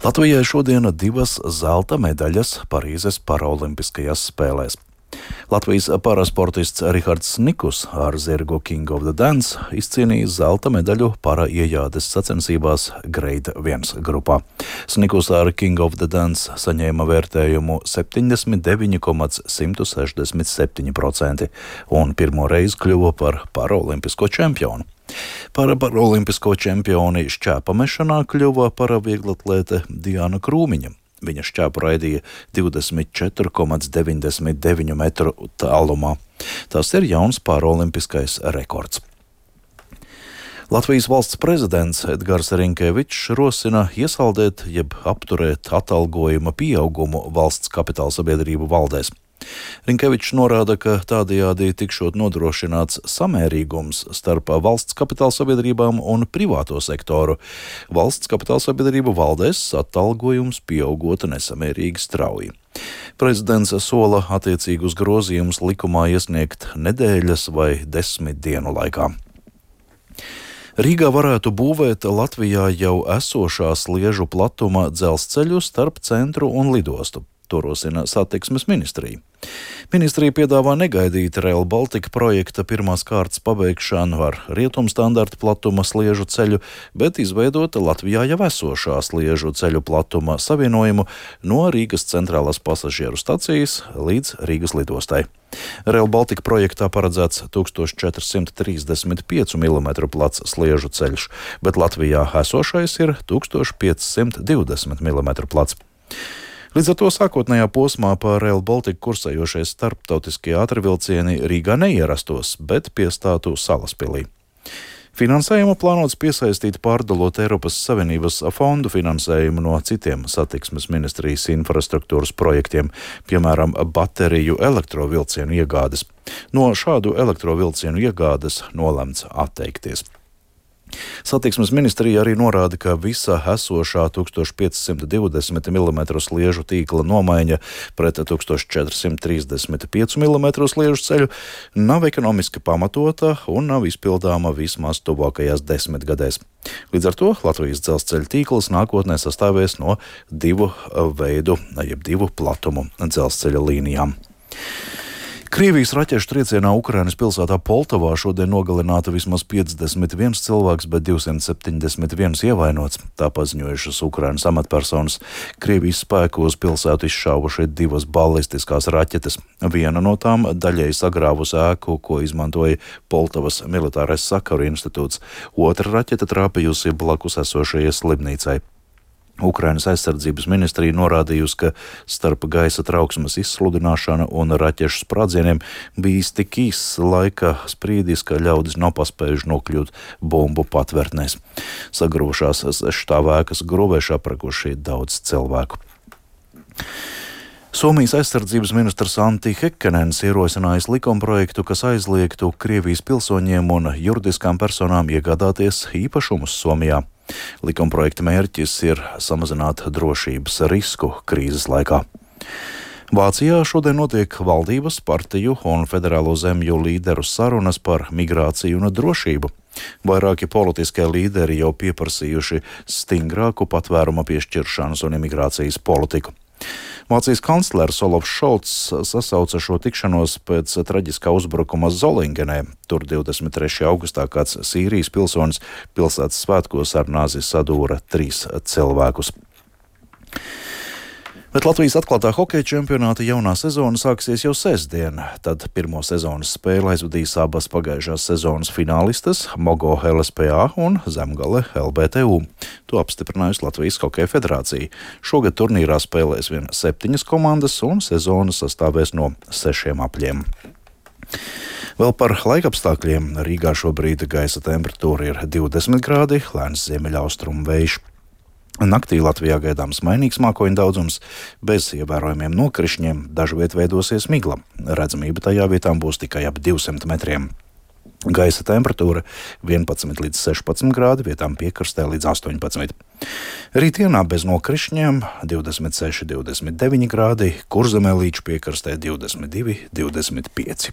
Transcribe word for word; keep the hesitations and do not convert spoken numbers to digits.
Latvijai šodien divas zelta medaļas Parīzes paraolimpiskajās spēlēs. Latvijas parasportists Rihards Snikus ar zirgu King of the Dance izcīnīja zelta medaļu paraiejādes sacensībās Grade viens grupā. Snikus ar King of the Dance saņēma vērtējumu septiņdesmit deviņi komats simt sešdesmit septiņi procenti un pirmo reizi kļuva par paraolimpisko čempionu. Par paraolimpisko čempioni šķēpamešanā kļuva paravieglatlēte Diana Krūmiņa. Viņa šķēpu raidīja divdesmit četri komats deviņdesmit deviņi metru tālumā. Tas ir jauns paraolimpiskais rekords. Latvijas valsts prezidents Edgars Rinkevičs rosina iesaldēt jeb apturēt atalgojuma pieaugumu valsts kapitāla sabiedrību valdēs. Rinkevičs norāda, ka tādējādi tikšot nodrošināts samērīgums starp valsts kapitāla sabiedrībām un privāto sektoru. Valsts kapitāla sabiedrību valdēs atalgojums pieaugot nesamērīgi strauji. Prezidents sola attiecīgus grozījumus likumā iesniegt nedēļas vai desmit dienu laikā. Rīgā varētu būvēt Latvijā jau esošā sliežu platuma dzelzceļu starp centru un lidostu. To rosina satiksmes ministrija. Ministrija piedāvā negaidīt Rail Baltica projekta pirmās kārtas pabeigšanu ar rietumstandarta platuma sliežu ceļu, bet izveidot Latvijā jau esošā sliežu ceļu platuma savienojumu no Rīgas centrālās pasažieru stacijas līdz Rīgas lidostai. Rail Baltica projektā paredzēts tūkstoš četri simti trīsdesmit pieci milimetru plats sliežu ceļš, bet Latvijā esošais ir tūkstoš pieci simti divdesmit milimetru plats. Līdz ar to sākotnējā posmā pa Rail Baltica kursējošie starptautiskie ātrvilcieni Rīgā neierastos, bet piestātu Salaspilī. Finansējumu plānots piesaistīt pārdalot Eiropas Savienības fondu finansējumu no citiem satiksmes ministrijas infrastruktūras projektiem, piemēram, bateriju elektrovilcienu iegādes. No šādu elektrovilcienu iegādes nolemts atteikties. Satiksmes ministrija arī norāda, ka visa esošā tūkstoš pieci simti divdesmit milimetru sliežu tīkla nomaiņa pret tūkstoš četri simti trīsdesmit pieci milimetru sliežu ceļu nav ekonomiski pamatota un nav izpildāma vismaz tuvākajās desmitgadēs. Līdz ar to Latvijas dzelzceļa tīkls nākotnē sastāvēs no divu veidu, jeb divu platumu dzelzceļa līnijām. Krievijas raķešu triecienā Ukrainas pilsētā Poltavā šodien nogalināta vismaz piecdesmit viens cilvēks, bet divsimt septiņdesmit viens ievainots. Tā paziņojušas Ukrainas amatpersonas. Krievijas spēki uz pilsētu izšāvuši divas balistiskās raķetes. Viena no tām daļēji sagrāvusi ēku, ko izmantoja Poltavas militārais sakaru institūts. Otra raķete trāpījusi blakus esošajai slimnīcai. Ukrainas aizsardzības ministrija norādījusi, ka starp gaisa trauksmes izsludināšanu un raķešu sprādzieniem bijis tik īss laika sprīdis, ka ļaudis nav paspējuši nokļūt bumbu patvērtnēs. Sagrūšās sešstāvēkas grūvēši aprakuši daudz cilvēku. Somijas aizsardzības ministrs Antti Häkkänen ierosinājis likumprojektu, kas aizliegtu Krievijas pilsoņiem un juridiskām personām iegādāties īpašumus Somijā. Likumprojekta mērķis ir samazināt drošības risku krīzes laikā. Vācijā šodien notiek valdības, partiju un federālo zemju līderu sarunas par migrāciju un drošību. Vairāki politiskie līderi jau pieprasījuši stingrāku patvēruma piešķiršanas un imigrācijas politiku. Vācijas kanclers Olofs Šolts sasauca šo tikšanos pēc traģiskā uzbrukuma Zolingenē. Tur divdesmit trešajā augustā kāds Sīrijas pilsonis pilsētas svētkos ar nāzi sadūra trīs cilvēkus. Bet Latvijas atklātā hokeja čempionāta jaunā sezona sāksies jau sestdien. Tad pirmo sezonas spēli aizvadīs abas pagājušās sezonas finālistes Mogo L S P A un Zemgale L B T U. To apstiprinājusi Latvijas Hokeja federācija. Šogad turnīrā spēlēs vien septiņas komandas un sezona sastāvēs no sešiem apļiem. Vēl par laikapstākļiem. Rīgā šobrīd gaisa temperatūra ir divdesmit grādi, lēns ziemeļaustrumu vējš. Naktī Latvijā gaidāms mainīgs mākoņu daudzums, bez ievērojumiem nokrišņiem, dažviet veidosies migla. Redzamība tajā vietām būs tikai ap divsimt metriem. Gaisa temperatūra vienpadsmit līdz sešpadsmit grādi, vietām piekrastē līdz astoņpadsmit. Rītdienā bez nokrišņiem divdesmit seši līdz divdesmit deviņi grādi, Kurzemē līdz piekrastē divdesmit divi līdz divdesmit pieci.